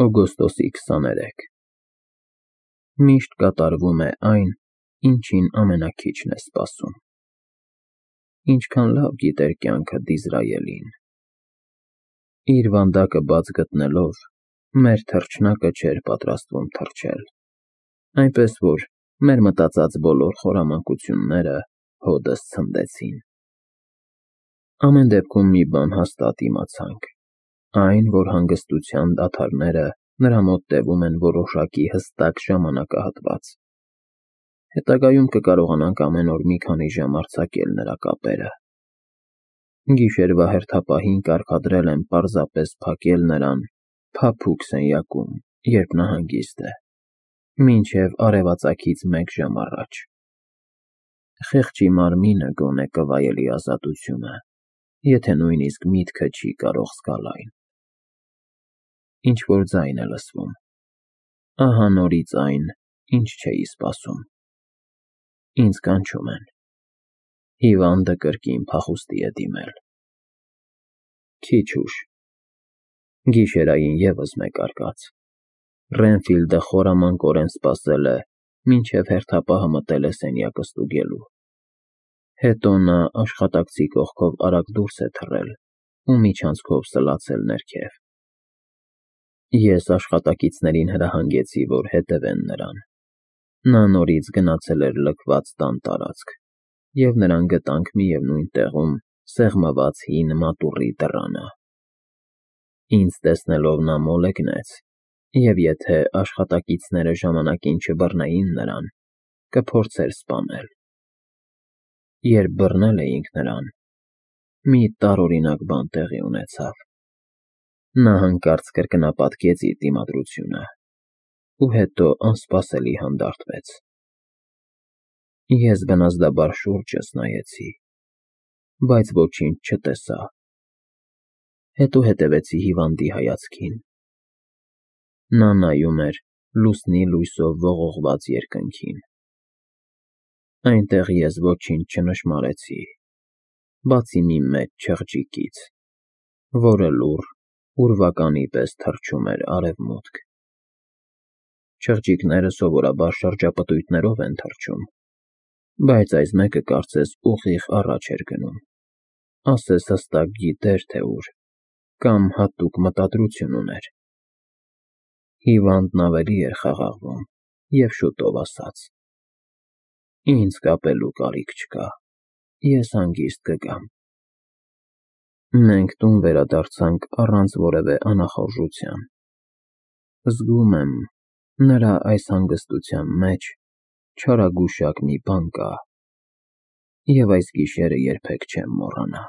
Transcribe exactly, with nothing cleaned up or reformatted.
Օգոստոսի քսաներեքը Միշտ կատարվում է այն, ինչին ամենաքիչն ես սպասում։ Ինչքան լավ գիտեր կյանքը Դիզրայելին… Իր վանդակը բաց գտնելով, մեր թռչնակը չէր պատրաստվում թռչել, այնպես որ մեր մտածած բոլոր խորամանկությունները հօդս ցնդեցին։ Ամեն դեպքում մի բան հաստատ իմացանք, այն, որ հանգստության դադարները նրա մոտ տևում են որոշակի հստակ ժամանակահատված։ Հետագայում կկարողանանք ամեն օր մի քանի ժամ արձակել նրա կապերը։ Գիշերվա հերթապահին կարգադրել եմ պարզապես փակել նրան փափուկ սենյակում, երբ նա հանգիստ է, մինչև արևածագից մեկ ժամ առաջ։ Խեղճի մարմինը գոնե կվայելի ազատությունը, եթե նույնիսկ միտքը չի կարող զգալ այն։ Ինչ֊որ ձայն է լսվում… Ահա նորից այն, ինչ չէի սպասում… Ինձ կանչում են… Հիվանդը կրկին փախուստի է դիմել… Քիչ ուշ… Գիշերային ևս մեկ արկած… Ռենֆիլդը խորամանկորեն սպասել է, մինչև հերթապահը մտել է սենյակը ստուգելու։ Հետո նա աշխատակցի կողքով արագ դուրս է թռել ու միջանցքով սլացել ներքև։ Ես աշխատակիցներին հրահանգեցի, որ հետևեն նրան։ Նա նորից գնացել էր լքված տան տարածք, և նրան գտանք միևնույն տեղում սեղմված հին մատուռի դռանը։ Ինձ տեսնելով նա մոլեգնեց, և եթե աշխատակիցները ժամանակին չբռնեին նրան, կփորձեր սպանել։ Երբ բռնել էինք նրան, մի տարօրինակ բան տեղի ունեցավ։ Նա հանկարծ կրկնապատկեց իր դիմադրությունը ու հետո անսպասելի հանդարտվեց։ Ես բնազդաբար շուրջս նայեցի, բայց ոչինչ չտեսա։ Հետո հետևեցի հիվանդի հայացքին։ Նա նայում էր լուսնի լույսով ողողված երկնքին։ Այնտեղ ես ոչինչ չնշմարեցի, բացի մի մեծ չղջիկից, որը լուռ, ուրվականի պես թռչում էր արևմուտք։ Չղջիկները սովորաբար շրջապտույտներով են թռչում, բայց այս մեկը կարծես ուղիղ առաջ էր գնում, ասես հստակ գիտեր, թե ուր, կամ հատուկ մտադրություն ուներ։ Հիվանդն ավելի էր խաղաղվում և շուտով ասաց. «Ինձ կապելու կարիք չկա, ես հանգիստ կգամ»։ Մենք տուն վերադարձանք առանց որևէ անախորժության։ Զգում եմ, նրա այս հանգստության մեջ չարագուշակ մի բան կա, և այս գիշերը երբեք չեմ մոռանա։